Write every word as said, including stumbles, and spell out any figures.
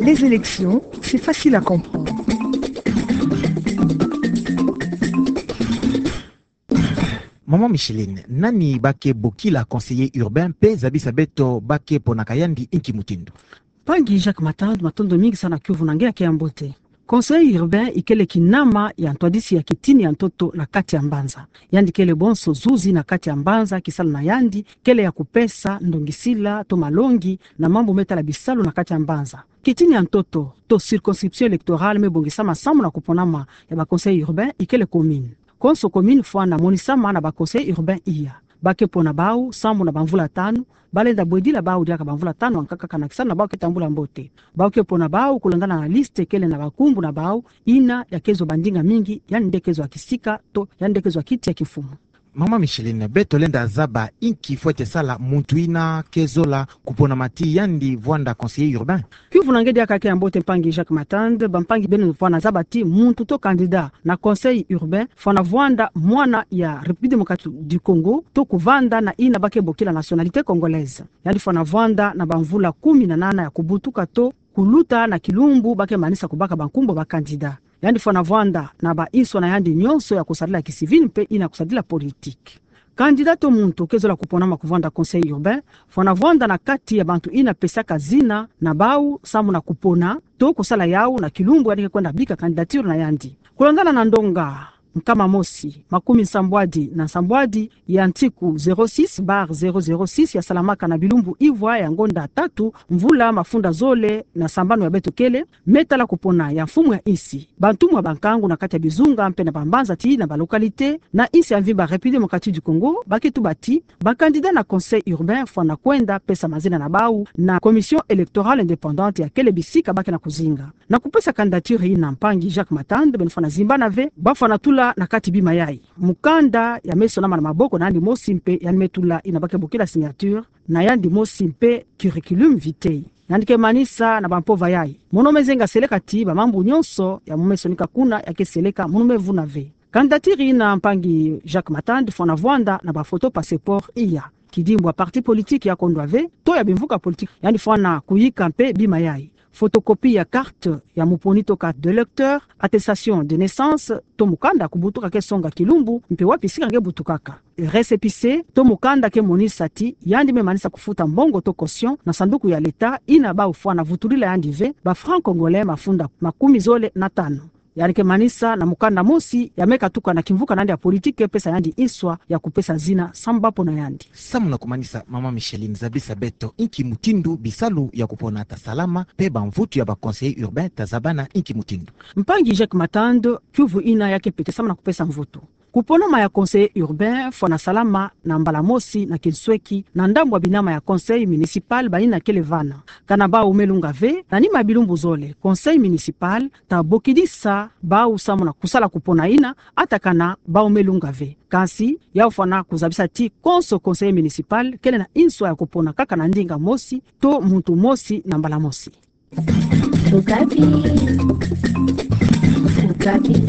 Les élections, c'est facile à comprendre. Maman Micheline, nani ba ke bokila conseiller urbain, mpe zabisa beto ba ke ponaka yandi inki mutindu? Mpangi Jacques Matand, matondo mingi sana kiuvu na nge ya ke ya mbote. Conseiller urbain ikele kinama ya ntwadisi ya kitini ya ntoto na kati ya mbanza. Yandi kele bonso zuzi na kati ya mbanza, kisala na yandi kele ya kupesa ndongisila to malongi na mambu me tala bisalu na kati ya mbanza. Kitini ya ntoto to circonscription électorale me bongisama samu na kuponama ya ba conseillers urbains ikele commune. Konso commune fwana monisama na ba conseillers urbains iya. Ba ke pona bau samu na bamvula tanu, ba lenda bwedila bau diaka bamvula tanu ankaka, kana kisala na bau ke tambula mbote. Bau ke pona bau kulandana na liste kele na bankumbu na bau, ina ya ke zwa bandinga mingi, yandi nde ke zwa kisika to yandi nde ke zwa kiti ya kimfumu. Maman Micheline, beto lenda zaba inki fwete sala muntu ina ke zola kuponama ti yandi vwanda conseiller urbain? Kiuvu na nge diaka ya ke ya mbote mpangi Jacques Matand, bampangi beno fwana zaba ti muntu to candidat na conseil urbain fwana vwanda mwana ya République démocratique du Congo to kuvanda na ina ba ke bokila nationalité congolaise. Yandi fwana vwanda na bamvula kumi na nana ya kubutuka to kuluta na kilumbu ba ke manisa kubaka bankumbu ba candidat. Yandi fwana vwanda na ba inswa na yandi nyonso ya kusadila kisivili mpe ina kusadila politique. Candidat to muntu ke zola kuponama kuvwanda conseil urbain fwana vwanda na kati ya bantu ina pesaka zina na bau samu na kupona to kusala yau na kilumbu yandi ke kwenda bika candidature na yandi. Kulandana na ndonga nkama mosi, makumi nsambwadi na nsambwadi ya ntiku zéro six barre zéro zéro six ya salamaka na bilumbu ivwa ya ngonda tatu, mvula mafunda zole na sambanu ya beto kele, me tala kupona ya mfumu ya insi, bantumwa bankangu na kati ya bizunga mpe na bambanza ti na ba localité na insi ya mvimba République démocratique du Congo ba ke tuba ti ba candidat na conseil urbain fwana kwenda pesa mazina na bau na commission électorale indépendante ya kele bisika ba ke na kuzinga. Na kupesa candidature ina mpangi Jacques Matand, beno fwana zimbana ve, ba fwana tula na kati bima yai: mukanda ya me sonama na maboko na yandi mosi mpe yandi me tula ina ba ke bokila signature na yandi mosi mpe curriculum vitae. Yandi ke manisa na bampova yai: mono me zenga seleka ti bamambu nyonso ya mo me sonika kuna ya ke seleka, mono me vuna ve. Candidature ina mpangi Jacques Matand fwana vwanda na bafoto passeport iya. Kidimbu ya parti politique ya kondwa ve to ya bimvuka politique, yandi fwana kuyika mpe bima yai: photocopie ya carte ya muponi to carte d'électeur, attestation de naissance to mukanda kubutuka ke songa kilumbu mpe wapi sika nge butukaka, récépissé to mukanda ke monisa ti yandi me manisa kufuta mbongo to caution na sanduku ya l'État ina bau fwana vutulila yandi ve ba francs congolais mafunda makumi zole na tanu. Yandi ke manisa na mukanda mosi ya me katuka na kimvuka na yandi ya politique ke pesa yandi inswa ya kupesa zina samu ba pona yandi. Samu na kumanisa, Maman Micheline, zabisa beto inki mutindu bisalu ya kupona ta salama, mpe bamvutu ya ba conseillers urbains ta zabana inki mutindu? Mpangi Jacques Matand, kiuvu ina ya ke pete samu na kupesa mvutu. Kuponama ya conseiller urbain fwana salama na mbala mosi na kinsweki na ndambu ya binama ya conseil municipal ba ina kele vana. Kana bau me lunga ve, na nima ya bilumbu zole conseil municipal ta bokidisa bau samu na kusala kupona ina, ata kana bau me lunga ve. Kansi yau fwana kuzabisa ti konso conseiller municipal kele na inswa ya kupona kaka na ndinga mosi to muntu mosi na mbala mosi. Okapi. Okapi.